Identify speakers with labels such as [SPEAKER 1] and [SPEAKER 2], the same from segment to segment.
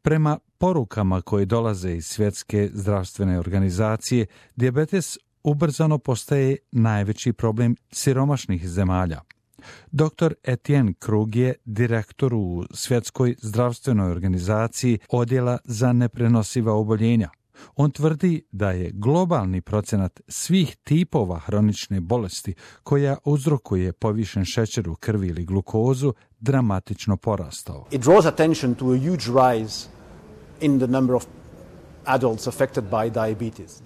[SPEAKER 1] Prema porukama koje dolaze iz Svjetske zdravstvene organizacije, dijabetes ubrzano postaje najveći problem siromašnih zemalja. Dr. Etienne Krug je direktor u Svjetskoj zdravstvenoj organizaciji odjela za neprenosiva oboljenja. On tvrdi da je globalni procenat svih tipova hronične bolesti koja uzrokuje povišen šećer u krvi ili glukozu dramatično porastao.
[SPEAKER 2] It draws attention to a huge rise in the number of adults affected by diabetes.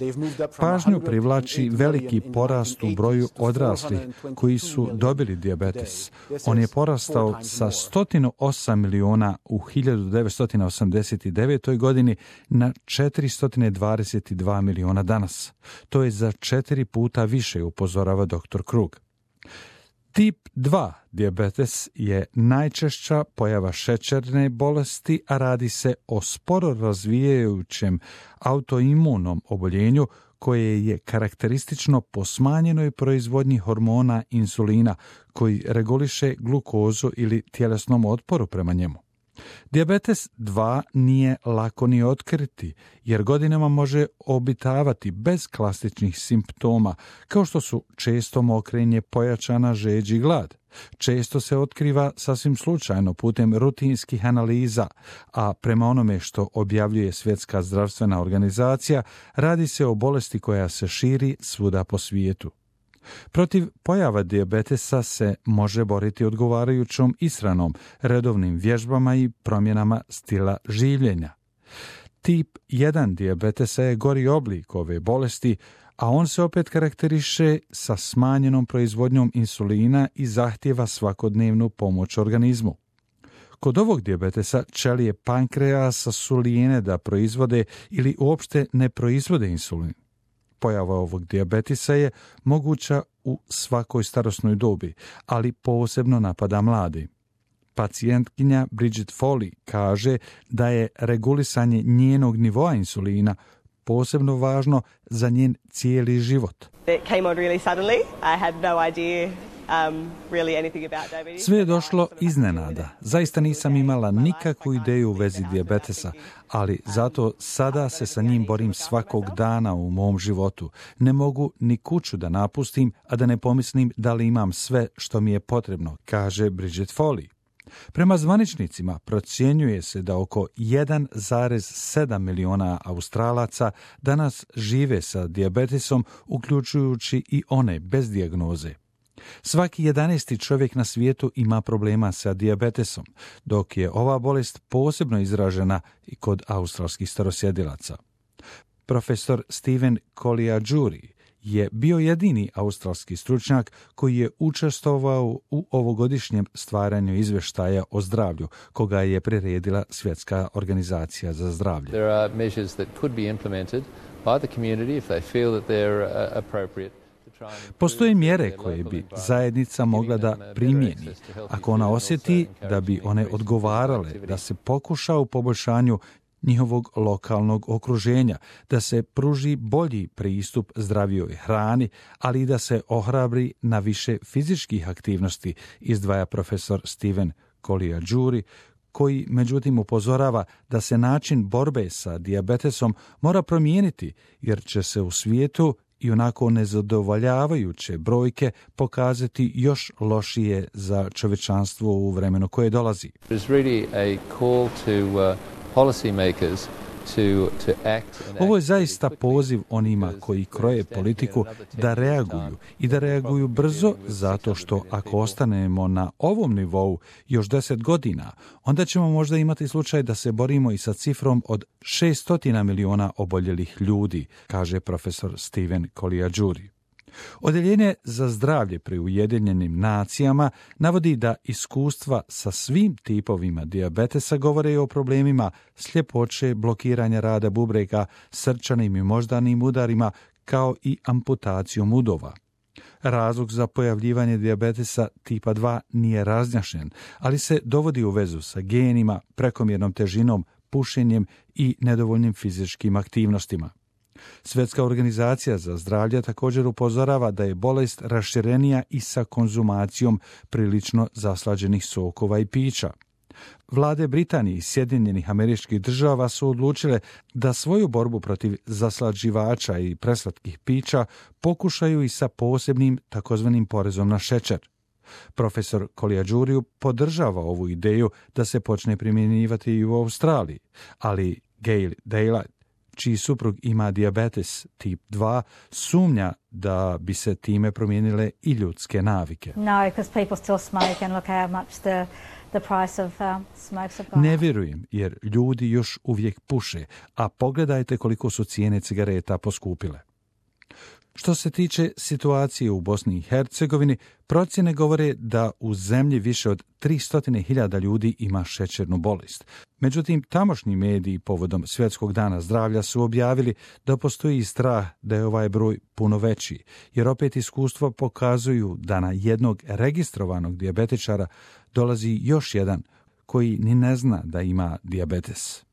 [SPEAKER 1] Pažnju privlači veliki porast u broju odraslih koji su dobili dijabetes. On je porastao sa 108 miliona u 1989. godini na 422 miliona danas. To je za 4 puta više, upozorava dr. Krug. Tip 2 dijabetes je najčešća pojava šećerne bolesti, a radi se o sporo razvijajućem autoimunom oboljenju koje je karakteristično po smanjenoj proizvodnji hormona insulina koji reguliše glukozu ili tjelesnom otporu prema njemu. Dijabetes 2 nije lako ni otkriti, jer godinama može obitavati bez klasičnih simptoma, kao što su često mokrenje, pojačana žeđ i glad. Često se otkriva sasvim slučajno putem rutinskih analiza, a prema onome što objavljuje Svjetska zdravstvena organizacija, radi se o bolesti koja se širi svuda po svijetu. Protiv pojava dijabetesa se može boriti odgovarajućom ishranom, redovnim vježbama i promjenama stila življenja. Tip 1 dijabetesa je gori oblik ove bolesti, a on se opet karakteriše sa smanjenom proizvodnjom insulina i zahtijeva svakodnevnu pomoć organizmu. Kod ovog dijabetesa ćelije pankreasa su lijene da proizvode ili uopšte ne proizvode insulin. Pojava ovog dijabetesa je moguća u svakoj starosnoj dobi, ali posebno napada mladi. Pacijentkinja Bridget Foley kaže da je regulisanje njenog nivoa insulina posebno važno za njen cijeli život. Sve je došlo iznenada. Zaista nisam imala nikakvu ideju u vezi dijabetesa, ali zato sada se sa njim borim svakog dana u mom životu. Ne mogu ni kuću da napustim, a da ne pomislim da li imam sve što mi je potrebno, kaže Bridget Foley. Prema zvaničnicima procjenjuje se da oko 1,7 miliona Australaca danas žive sa dijabetesom, uključujući i one bez dijagnoze. Svaki 11. čovjek na svijetu ima problema sa dijabetesom, dok je ova bolest posebno izražena i kod australskih starosjedilaca. Profesor Stephen Coliaguri je bio jedini australski stručnjak koji je učestvovao u ovogodišnjem stvaranju izvještaja o zdravlju, koga je priredila Svjetska organizacija za zdravlje.
[SPEAKER 3] There are measures that could be implemented by the community if they feel that they're appropriate.
[SPEAKER 1] Postoje mjere koje bi zajednica mogla da primijeni, ako ona osjeti da bi one odgovarale, da se pokuša u poboljšanju njihovog lokalnog okruženja, da se pruži bolji pristup zdravijoj hrani, ali i da se ohrabri na više fizičkih aktivnosti, izdvaja profesor Stephen Coliaguri, koji međutim upozorava da se način borbe sa dijabetesom mora promijeniti, jer će se u svijetu i onako nezadovoljavajuće brojke pokazati još lošije za čovječanstvo u vremenu koje dolazi. Ovo je zaista poziv onima koji kroje politiku da reaguju i da reaguju brzo, zato što ako ostanemo na ovom nivou još 10 godina, onda ćemo možda imati slučaj da se borimo i sa cifrom od 600 miliona oboljelih ljudi, kaže profesor Stephen Coliaguri. Odjeljenje za zdravlje pri Ujedinjenim nacijama navodi da iskustva sa svim tipovima dijabetesa govore o problemima sljepoće, blokiranja rada bubrega, srčanim i moždanim udarima, kao i amputacijom udova. Razlog za pojavljivanje dijabetesa tipa 2 nije razjašnjen, ali se dovodi u vezu sa genima, prekomjernom težinom, pušenjem i nedovoljnim fizičkim aktivnostima. Svjetska organizacija za zdravlje također upozorava da je bolest raširenija i sa konzumacijom prilično zaslađenih sokova i pića. Vlade Britanije i Sjedinjenih Američkih Država su odlučile da svoju borbu protiv zaslađivača i preslatkih pića pokušaju i sa posebnim takozvanim porezom na šećer. Profesor Caligiuri podržava ovu ideju da se počne primjenjivati i u Australiji, ali Gail Daylight, čiji suprug ima dijabetes tip 2, sumnja da bi se time promijenile i ljudske navike. Ne vjerujem, jer ljudi još uvijek puše, a pogledajte koliko su cijene cigareta poskupile. Što se tiče situacije u Bosni i Hercegovini, procjene govore da u zemlji više od 300.000 ljudi ima šećernu bolest. Međutim, tamošnji mediji povodom Svjetskog dana zdravlja su objavili da postoji strah da je ovaj broj puno veći, jer opet iskustva pokazuju da na jednog registrovanog dijabetičara dolazi još jedan koji ni ne zna da ima dijabetes.